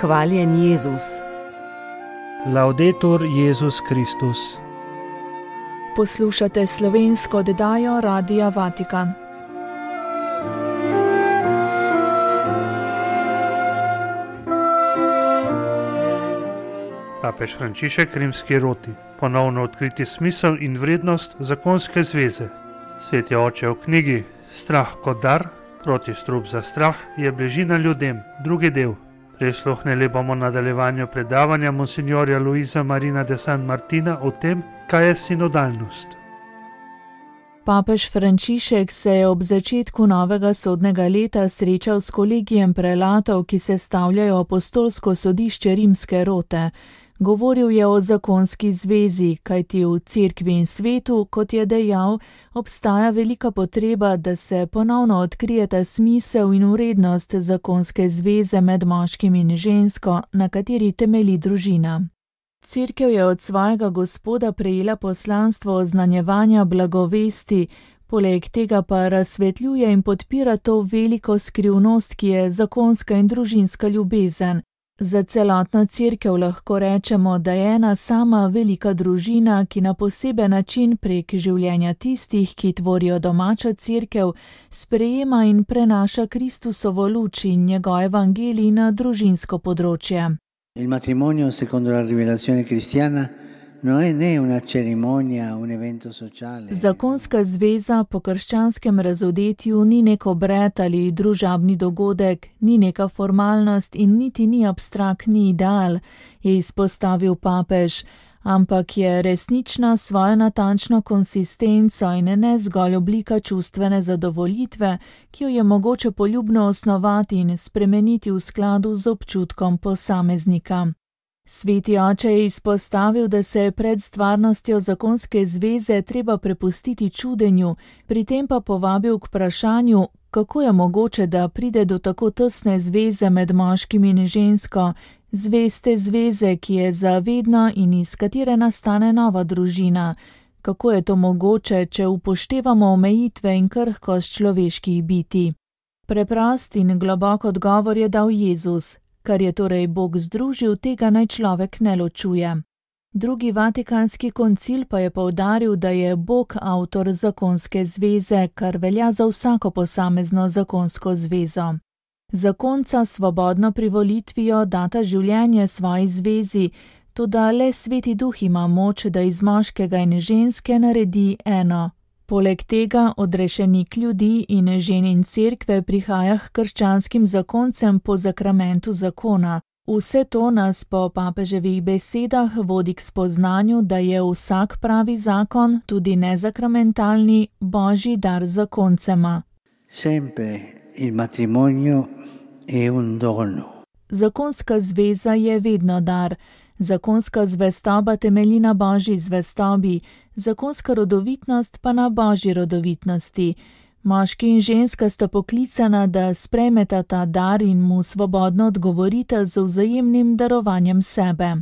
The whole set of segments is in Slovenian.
Hvaljen Jezus. Laudetur Jezus Kristus. Poslušate slovensko oddajo Radia Vatikan. Papež Frančišek rimski roti, ponovno odkriti smisel in vrednost zakonske zveze. Sveti oče v knjigi Strah kot dar, proti strup za strah, je bližina ljudem, drugi del. Prisluhnili bomo nadaljevanju predavanja monsignorja Luisa Marina de San Martina o tem, kaj je sinodalnost. Papež Frančišek se je ob začetku novega sodnega leta srečal s kolegijem prelatov, ki sestavljajo apostolsko sodišče rimske rote. Govoril je o zakonski zvezi, kajti v cerkvi in svetu, kot je dejal, obstaja velika potreba, da se ponovno odkrijeta smisel in vrednost zakonske zveze med moškim in žensko, na kateri temelji družina. Cerkev je od svojega Gospoda prejela poslanstvo oznanjevanja blagovesti, poleg tega pa razsvetljuje in podpira to veliko skrivnost, ki je zakonska in družinska ljubezen. Za celotno cerkev lahko rečemo, da je ena sama velika družina, ki na poseben način prek življenja tistih, ki tvorijo domačo cerkev, sprejema in prenaša Kristusovo luč in njegov evangelij na družinsko področje. Il matrimonio, secondo la rivelazione cristiana, non è né una cerimonia, un evento sociale. Zakonska zveza po krščanskem razodetju ni nek obred ali družabni dogodek, ni neka formalnost in niti ni abstraktni ideal, je izpostavil papež, ampak je resnična svojo natančno konsistenco in ne zgolj oblika čustvene zadovoljitve, ki jo je mogoče poljubno osnovati in spremeniti v skladu z občutkom posameznika. Sveti oče je izpostavil, da se je pred stvarnostjo zakonske zveze treba prepustiti čudenju, pri tem pa povabil k vprašanju, kako je mogoče, da pride do tako tesne zveze med moškim in žensko, zveste zveze, ki je za vedno in iz katere nastane nova družina. Kako je to mogoče, če upoštevamo omejitve in krhkost človeških bitij? Preprost in globok odgovor je dal Jezus. Kar je torej Bog združil, tega naj človek ne ločuje. Drugi vatikanski koncil pa je poudaril, da je Bog avtor zakonske zveze, kar velja za vsako posamezno zakonsko zvezo. Zakonca svobodno privolitvijo data življenje svoji zvezi, toda le Sveti Duh ima moč, da iz moškega in ženske naredi eno. Poleg tega odrešenik ljudi in ženin cerkve prihaja k krščanskim zakoncem po zakramentu zakona. Vse to nas po papeževih besedah vodi k spoznanju, da je vsak pravi zakon, tudi nezakramentalni, božji dar zakoncema. Sempre il matrimonio è un dono. Zakonska zveza je vedno dar. Zakonska zvestoba temelji na božji zvestobi, zakonska rodovitnost pa na božji rodovitnosti. Moški in ženska sta poklicana, da sprejmeta ta dar in mu svobodno odgovorita z vzajemnim darovanjem sebe.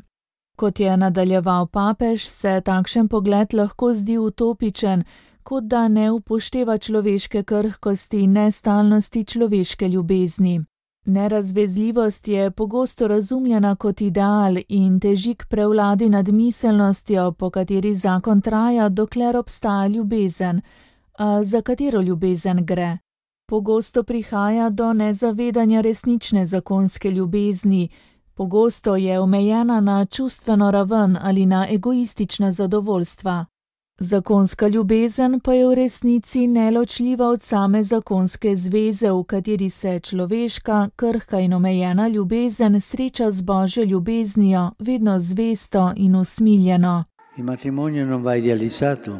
Kot je nadaljeval papež, se takšen pogled lahko zdi utopičen, kot da ne upošteva človeške krhkosti in nestalnosti človeške ljubezni. Nerazvezljivost je pogosto razumljena kot ideal in teži k prevladi nad miselnostjo, po kateri zakon traja, dokler obstaja ljubezen. A za katero ljubezen gre? Pogosto prihaja do nezavedanja resnične zakonske ljubezni. Pogosto je omejena na čustveno raven ali na egoistična zadovoljstva. Zakonska ljubezen pa je v resnici neločljiva od same zakonske zveze, v kateri se človeška, krhka in omejena ljubezen sreča z božjo ljubeznijo, vedno zvesto in usmiljeno. Il matrimonio non va idealizzato,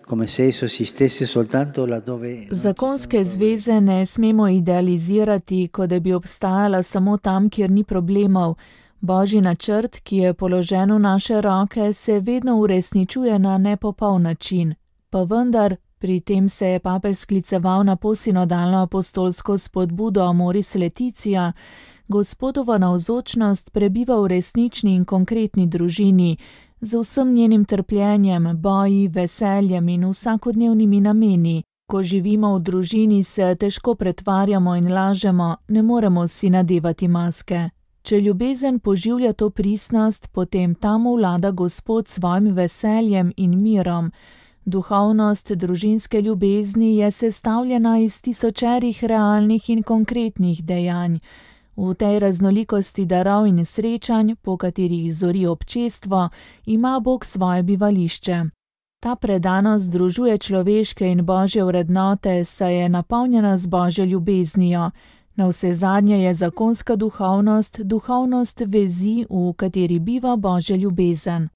come se esso esistesse soltanto laddove... Zakonske zveze ne smemo idealizirati, kot da bi obstajala samo tam, kjer ni problemov. Božji načrt, ki je položen v naše roke, se vedno uresničuje na nepopoln način. Pa vendar, pri tem se je papež skliceval na posinodalno apostolsko spodbudo Amoris Laetitia, Gospodova navzočnost prebiva v resnični in konkretni družini, z vsem njenim trpljenjem, boji, veseljem in vsakodnevnimi nameni. Ko živimo v družini, se težko pretvarjamo in lažemo, ne moremo si nadevati maske. Če ljubezen poživlja to pristnost, potem tam vlada Gospod s svojim veseljem in mirom. Duhovnost družinske ljubezni je sestavljena iz tisočerih realnih in konkretnih dejanj. V tej raznolikosti darov in srečanj, po katerih zori občestvo, ima Bog svoje bivališče. Ta predanost združuje človeške in božje vrednote, saj je napolnjena z božjo ljubeznijo. Navsezadnje je zakonska duhovnost, duhovnost vezi, v kateri biva božja ljubezen.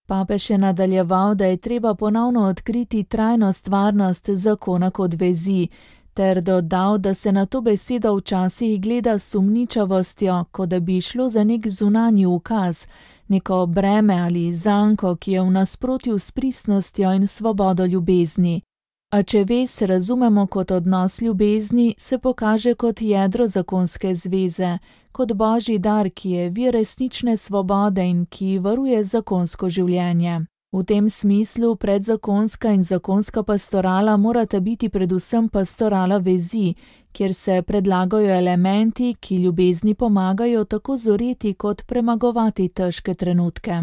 Papež je nadaljeval, da je treba ponovno odkriti trajno stvarnost zakona kot vezi, ter dodal, da se na to besedo včasih gleda s sumničavostjo, kot da bi šlo za nek zunanji ukaz, neko breme ali zanko, ki je v nasprotju s pristnostjo in svobodo ljubezni. A če vez razumemo kot odnos ljubezni, se pokaže kot jedro zakonske zveze, kot božji dar, ki je vir resnične svobode in ki varuje zakonsko življenje. V tem smislu predzakonska in zakonska pastorala morata biti predvsem pastorala vezi, kjer se predlagajo elementi, ki ljubezni pomagajo tako zoreti kot premagovati težke trenutke.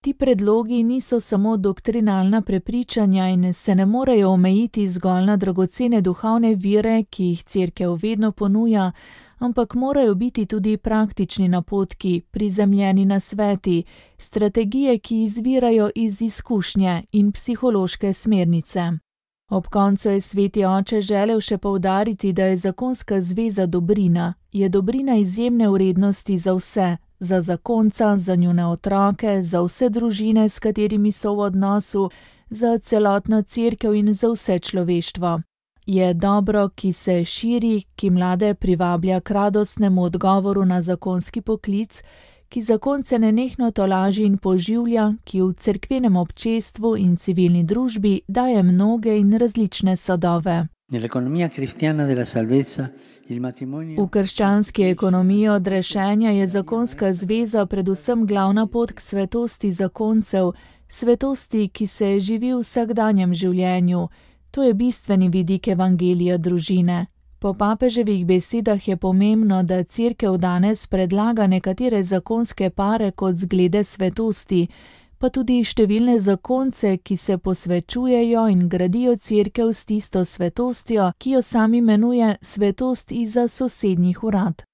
Ti predlogi niso samo doktrinalna prepričanja in se ne morejo omejiti zgolj na dragocene duhovne vire, ki jih Cerkev vedno ponuja, ampak morajo biti tudi praktični napotki, prizemljeni nasveti, strategije, ki izvirajo iz izkušnje in psihološke smernice. Ob koncu je sveti oče želel še poudariti, da je zakonska zveza dobrina, je dobrina izjemne vrednosti za vse, za zakonca, za njune otroke, za vse družine, s katerimi so v odnosu, za celotno Cerkev in za vse človeštvo. Je dobro, ki se širi, ki mlade privablja k radostnemu odgovoru na zakonski poklic, ki zakonce nenehno tolaži in poživlja, ki v cerkvenem občestvu in civilni družbi daje mnoge in različne sadove. V krščanski ekonomiji odrešenja je zakonska zveza predvsem glavna pot k svetosti zakoncev, svetosti, ki se živi v vsakdanjem življenju. To je bistveni vidik evangelija družine. Po papeževih besedah je pomembno, da Cerkev danes predlaga nekatere zakonske pare kot zglede svetosti, pa tudi številne zakonce, ki se posvečujejo in gradijo Cerkev s tisto svetostjo, ki jo sam imenuje svetost izza sosednjih urad.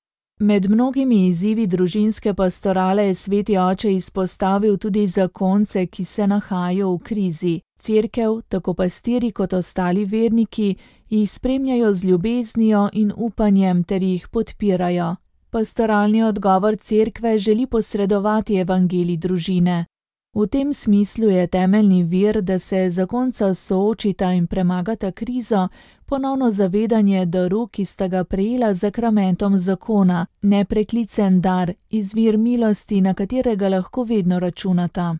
Med mnogimi izzivi družinske pastorale je sveti oče izpostavil tudi zakonce, ki se nahajajo v krizi. Cerkev, tako pastiri kot ostali verniki, jih spremljajo z ljubeznijo in upanjem ter jih podpirajo. Pastoralni odgovor Cerkve želi posredovati evangelij družine. V tem smislu je temeljni vir, da se zakonca soočita in premagata krizo, ponovno zavedanje daru, ki sta ga prejela z zakramentom zakona, nepreklicen dar, izvir milosti, na katerega lahko vedno računata.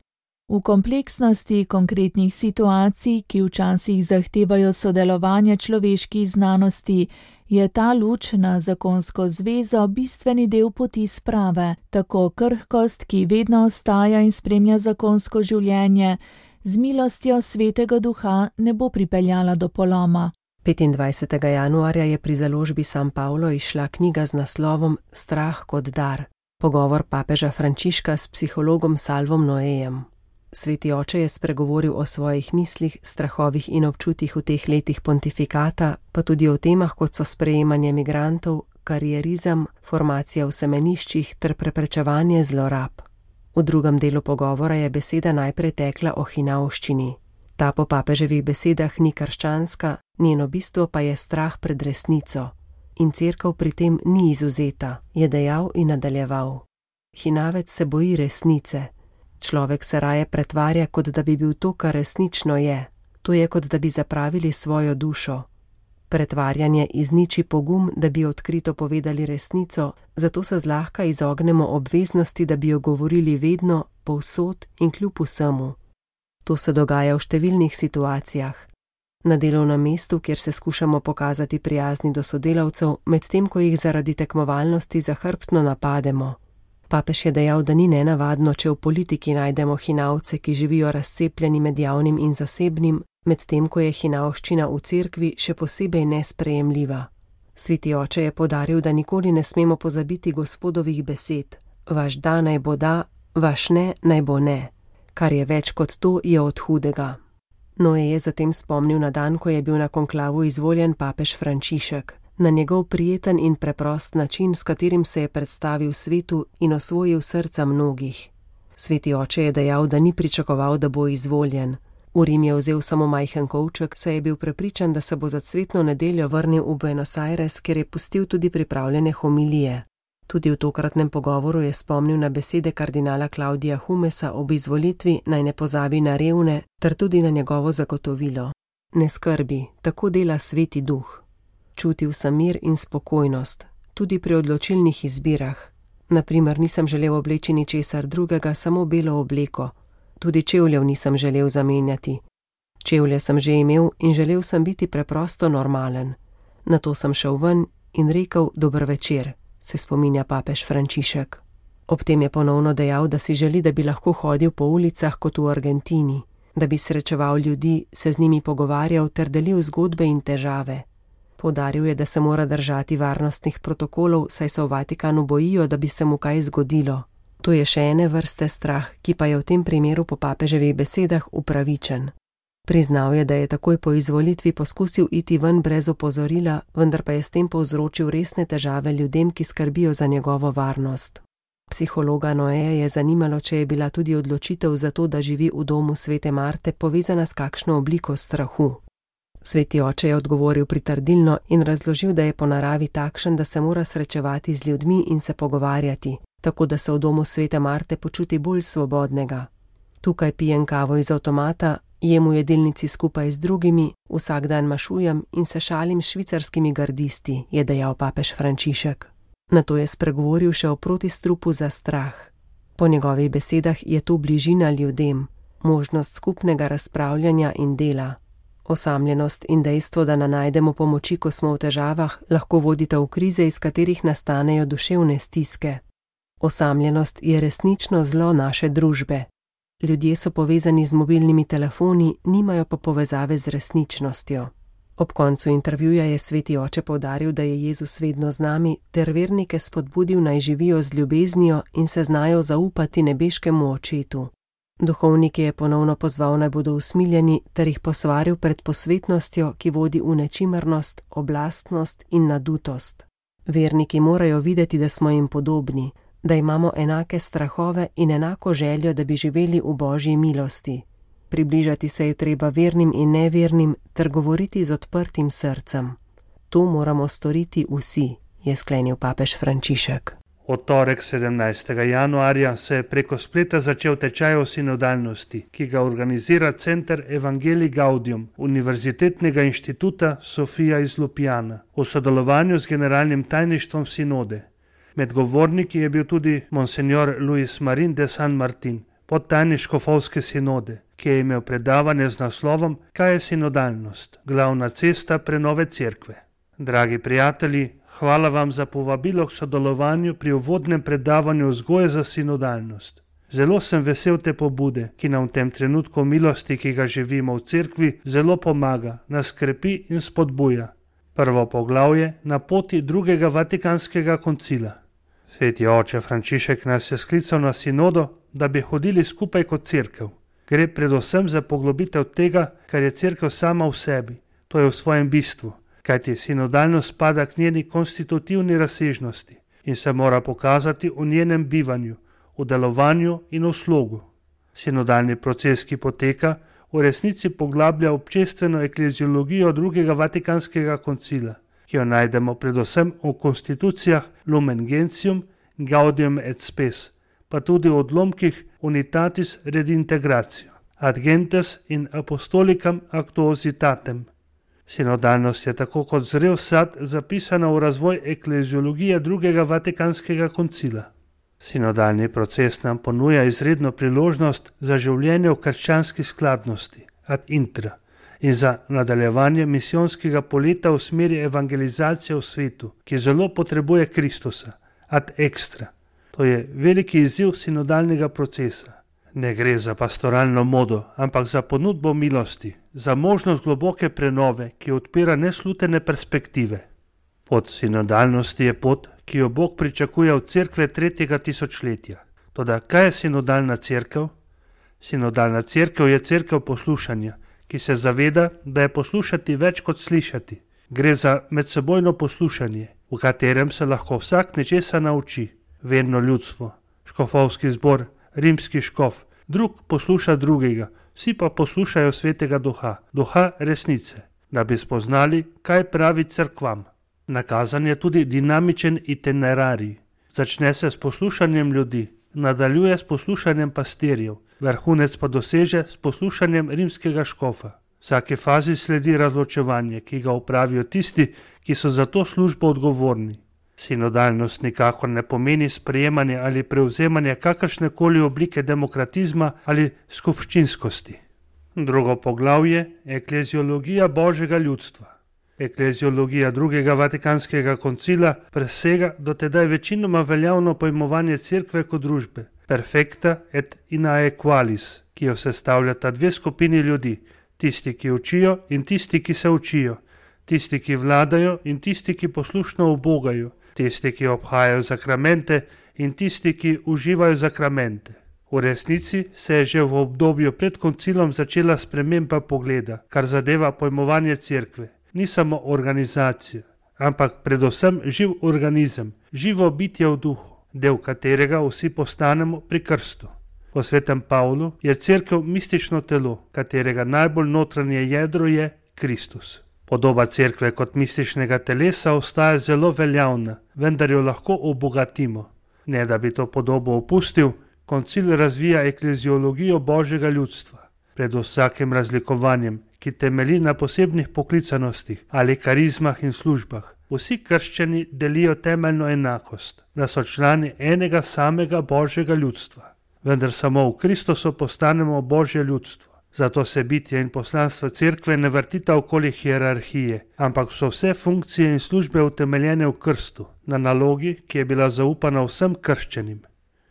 V kompleksnosti konkretnih situacij, ki včasih zahtevajo sodelovanje človeških znanosti, je ta luč na zakonsko zvezo bistveni del poti sprave, tako krhkost, ki vedno ostaja in spremlja zakonsko življenje, z milostjo Svetega Duha ne bo pripeljala do poloma. 25. januarja je pri založbi San Paolo izšla knjiga z naslovom Strah kot dar. Pogovor papeža Frančiška s psihologom Salvom Noejem. Sveti oče je spregovoril o svojih mislih, strahovih in občutjih v teh letih pontifikata, pa tudi o temah, kot so sprejemanje migrantov, karierizem, formacija v semeniščih ter preprečevanje zlorab. V drugem delu pogovora je beseda najprej tekla o hinavščini. Ta po papeževih besedah ni krščanska, njeno bistvo pa je strah pred resnico. In Cerkev pri tem ni izvzeta, je dejal in nadaljeval. Hinavec se boji resnice. Človek se raje pretvarja, kot da bi bil to, kar resnično je. To je, kot da bi zapravili svojo dušo. Pretvarjanje izniči pogum, da bi odkrito povedali resnico, zato se zlahka izognemo obveznosti, da bi jo govorili vedno, povsod in kljub vsemu. To se dogaja v številnih situacijah. Na delovnem mestu, kjer se skušamo pokazati prijazni do sodelavcev, medtem ko jih zaradi tekmovalnosti zahrbtno napademo. Papež je dejal, da ni nenavadno, če v politiki najdemo hinavce, ki živijo razcepljeni med javnim in zasebnim, medtem ko je hinavščina v cerkvi še posebej nesprejemljiva. Sveti oče je poudaril, da nikoli ne smemo pozabiti Gospodovih besed. vaš da naj bo da, vaš ne naj bo ne, kar je več kot to, je od hudega. Noe je zatem spomnil na dan, ko je bil na konklavu izvoljen papež Frančišek, na njegov prijeten in preprost način, s katerim se je predstavil svetu in osvojil srca mnogih. Sveti oče je dejal, da ni pričakoval, da bo izvoljen. V Rim je vzel samo majhen kovček, saj je bil prepričan, da se bo za cvetno nedeljo vrnil v Buenos Aires, kjer je pustil tudi pripravljene homilije. Tudi v tokratnem pogovoru je spomnil na besede kardinala Claudia Humesa ob izvolitvi, naj ne pozabi na revne, ter tudi na njegovo zagotovilo. Ne skrbi, tako dela Sveti Duh. Čutil sem mir in spokojnost, tudi pri odločilnih izbirah. Naprimer, nisem želel obleči ničesar drugega, samo belo obleko. Tudi čevljev nisem želel zamenjati. Čevlje sem že imel in želel sem biti preprosto normalen. Nato sem šel ven in rekel dober večer, se spominja papež Frančišek. Ob tem je ponovno dejal, da si želi, da bi lahko hodil po ulicah kot v Argentini, da bi srečeval ljudi, se z njimi pogovarjal ter delil zgodbe in težave. Poudaril je, da se mora držati varnostnih protokolov, saj se v Vatikanu bojijo, da bi se mu kaj zgodilo. To je še ene vrste strah, ki pa je v tem primeru po papeževih besedah upravičen. Priznal je, da je takoj po izvolitvi poskusil iti ven brez opozorila, vendar pa je s tem povzročil resne težave ljudem, ki skrbijo za njegovo varnost. Psihologa Noeja je zanimalo, če je bila tudi odločitev za to, da živi v domu svete Marte, povezana s kakšno obliko strahu. Sveti oče je odgovoril pritrdilno in razložil, da je po naravi takšen, da se mora srečevati z ljudmi in se pogovarjati, tako da se v domu svete Marte počuti bolj svobodnega. Tukaj pijem kavo iz avtomata, jem v jedilnici skupaj z drugimi, vsak dan mašujem in se šalim s švicarskimi gardisti, je dejal papež Frančišek. Nato je spregovoril še o protistrupu za strah. Po njegovih besedah je to bližina ljudem, možnost skupnega razpravljanja in dela. Osamljenost in dejstvo, da ne najdemo pomoči, ko smo v težavah, lahko vodita v krize, iz katerih nastanejo duševne stiske. Osamljenost je resnično zlo naše družbe. Ljudje so povezani z mobilnimi telefoni, nimajo pa povezave z resničnostjo. Ob koncu intervjuja je sveti oče poudaril, da je Jezus vedno z nami, ter vernike spodbudil, naj živijo z ljubeznijo in se znajo zaupati nebeškemu očetu. Duhovnike je ponovno pozval, naj bodo usmiljeni, ter jih posvaril pred posvetnostjo, ki vodi v nečimrnost, oblastnost in nadutost. Verniki morajo videti, da smo jim podobni, da imamo enake strahove in enako željo, da bi živeli v Božji milosti. Približati se je treba vernim in nevernim ter govoriti z odprtim srcem. To moramo storiti vsi, je sklenil papež Frančišek. Od torek 17. januarja se je preko spleta začel tečaj o sinodalnosti, ki ga organizira Center Evangelii Gaudium Univerzitetnega inštituta Sofia iz Ljubljane v sodelovanju z generalnim tajništvom sinode. Med govorniki je bil tudi monsignor Luis Marin de San Martin, podtajnik škofovske sinode, ki je imel predavanje z naslovom Kaj je sinodalnost? Glavna cesta prenove cerkve. Dragi prijatelji, hvala vam za povabilo k sodelovanju pri uvodnem predavanju vzgoje za sinodalnost. Zelo sem vesel te pobude, ki nam v tem trenutku milosti, ki ga živimo v cerkvi, zelo pomaga, nas krepi in spodbuja. Prvo poglavje na poti drugega Vatikanskega koncila. Sveti oče Frančišek nas je sklical na sinodo, da bi hodili skupaj kot cerkev. Gre predvsem za poglobitev tega, kar je cerkev sama v sebi, to je v svojem bistvu, kajti sinodalnost spada k njeni konstitutivni razsežnosti in se mora pokazati v njenem bivanju, v delovanju in v slogu. Sinodalni proces, ki poteka, v resnici poglablja občestveno ekleziologijo drugega Vatikanskega koncila, ki jo najdemo predvsem v konstitucijah Lumen Gentium, Gaudium et Spes, pa tudi v odlomkih Unitatis Redintegratio, Ad Gentes in Apostolicam Actuositatem. Sinodalnost je tako kot zrel sad zapisana v razvoj ekleziologije drugega Vatikanskega koncila. Sinodalni proces nam ponuja izredno priložnost za življenje v krščanski skladnosti, ad intra, in za nadaljevanje misijonskega poleta v smeri evangelizacije v svetu, ki zelo potrebuje Kristusa, ad extra. To je veliki izziv sinodalnega procesa. Ne gre za pastoralno modo, ampak za ponudbo milosti, za možnost globoke prenove, ki odpira neslutene perspektive. Pot sinodalnosti je pot, ki jo Bog pričakuje od cerkve 3. tisočletja. Toda kaj je sinodalna cerkev? Sinodalna cerkev je cerkev poslušanja, ki se zaveda, da je poslušati več kot slišati. Gre za medsebojno poslušanje, v katerem se lahko vsak nečesa nauči. Verno ljudstvo, škofovski zbor, rimski škof, drug posluša drugega, vsi pa poslušajo Svetega Duha, Duha resnice, da bi spoznali, kaj pravi cerkvam. Nakazan je tudi dinamičen itinerarij. Začne se s poslušanjem ljudi, nadaljuje s poslušanjem pastirjev, vrhunec pa doseže s poslušanjem rimskega škofa. Vsake fazi sledi razločevanje, ki ga opravijo tisti, ki so za to službo odgovorni. Sinodalnost nikakor ne pomeni sprejemanje ali prevzemanje kakršnekoli oblike demokratizma ali skupščinskosti. Drugo poglavje je ekleziologija Božjega ljudstva. Ekleziologija drugega Vatikanskega koncila presega dotedaj večinoma veljavno pojmovanje cerkve kot družbe, perfecta et inaequalis, ki jo sestavljata dve skupini ljudi, tisti, ki učijo in tisti, ki se učijo, tisti, ki vladajo in tisti, ki poslušno ubogajo, tisti, ki obhajajo sakramente in tisti, ki uživajo sakramente. V resnici se je že v obdobju pred koncilom začela sprememba pogleda, kar zadeva pojmovanje cerkve. Ni samo organizacija, ampak predvsem živ organizem, živo bitje v duhu, del katerega vsi postanemo pri krstu. Po svetem Pavlu je cerkev mistično telo, katerega najbolj notranje jedro je Kristus. Podoba cerkve kot mističnega telesa ostaja zelo veljavna, vendar jo lahko obogatimo. Ne da bi to podobo opustil, koncil razvija ekleziologijo Božjega ljudstva. Pred vsakim razlikovanjem, ki temelji na posebnih poklicanostih ali karizmah in službah, vsi krščani delijo temeljno enakost, da so člani enega samega Božjega ljudstva. Vendar samo v Kristusu postanemo Božje ljudstvo. Zato se bitje in poslanstvo cerkve ne vrtita okoli hierarhije, ampak so vse funkcije in službe utemeljene v krstu, na nalogi, ki je bila zaupana vsem krščanim.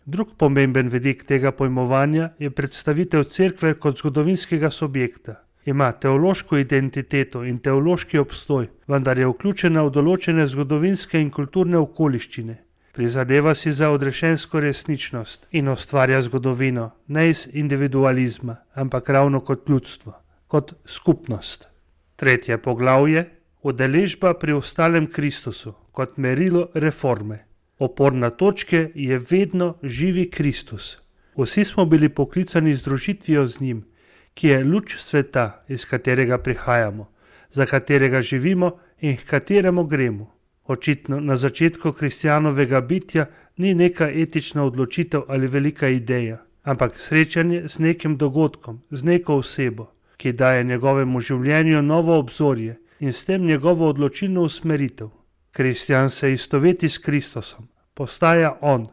Drug pomemben vidik tega pojmovanja je predstavitev cerkve kot zgodovinskega subjekta. Ima teološko identiteto in teološki obstoj, vendar je vključena v določene zgodovinske in kulturne okoliščine. Prizadeva si za odrešensko resničnost in ustvarja zgodovino, ne iz individualizma, ampak ravno kot ljudstvo, kot skupnost. Tretje poglavje, udeležba pri ostalem Kristusu, kot merilo reforme. Oporna točka je vedno živi Kristus. Vsi smo bili poklicani združitvijo z njim, ki je luč sveta, iz katerega prihajamo, za katerega živimo in k kateremu gremo. Očitno na začetku kristjanovega bitja ni neka etična odločitev ali velika ideja, ampak srečanje z nekim dogodkom, z neko osebo, ki daje njegovemu življenju novo obzorje in s tem njegovo odločilno usmeritev. Kristjan se istoveti s Kristusom, postaja on.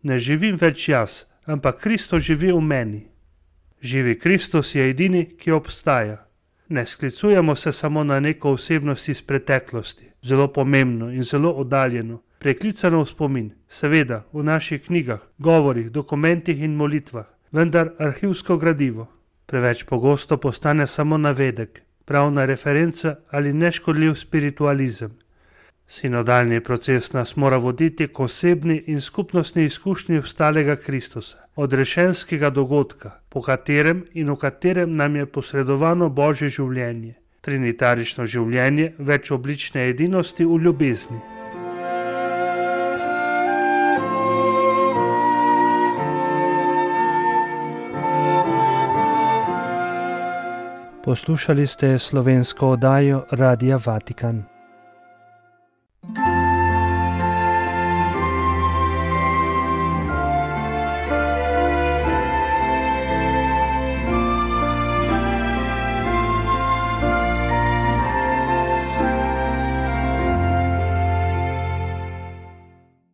Ne živim več jaz, ampak Kristus živi v meni. Živi Kristus je edini, ki obstaja. Ne sklicujemo se samo na neko osebnost iz preteklosti, zelo pomembno in zelo oddaljeno, preklicano v spomin, seveda v naših knjigah, govorih, dokumentih in molitvah, vendar arhivsko gradivo. Preveč pogosto postane samo navedek, pravna referenca ali neškodljiv spiritualizem. Sinodalni proces nas mora voditi k osebni in skupnostni izkušnji vstalega Kristusa, odrešenskega dogodka, po katerem in v katerem nam je posredovano Božje življenje, trinitarično življenje večoblične edinosti v ljubezni. Poslušali ste slovensko oddajo Radia Vatikan.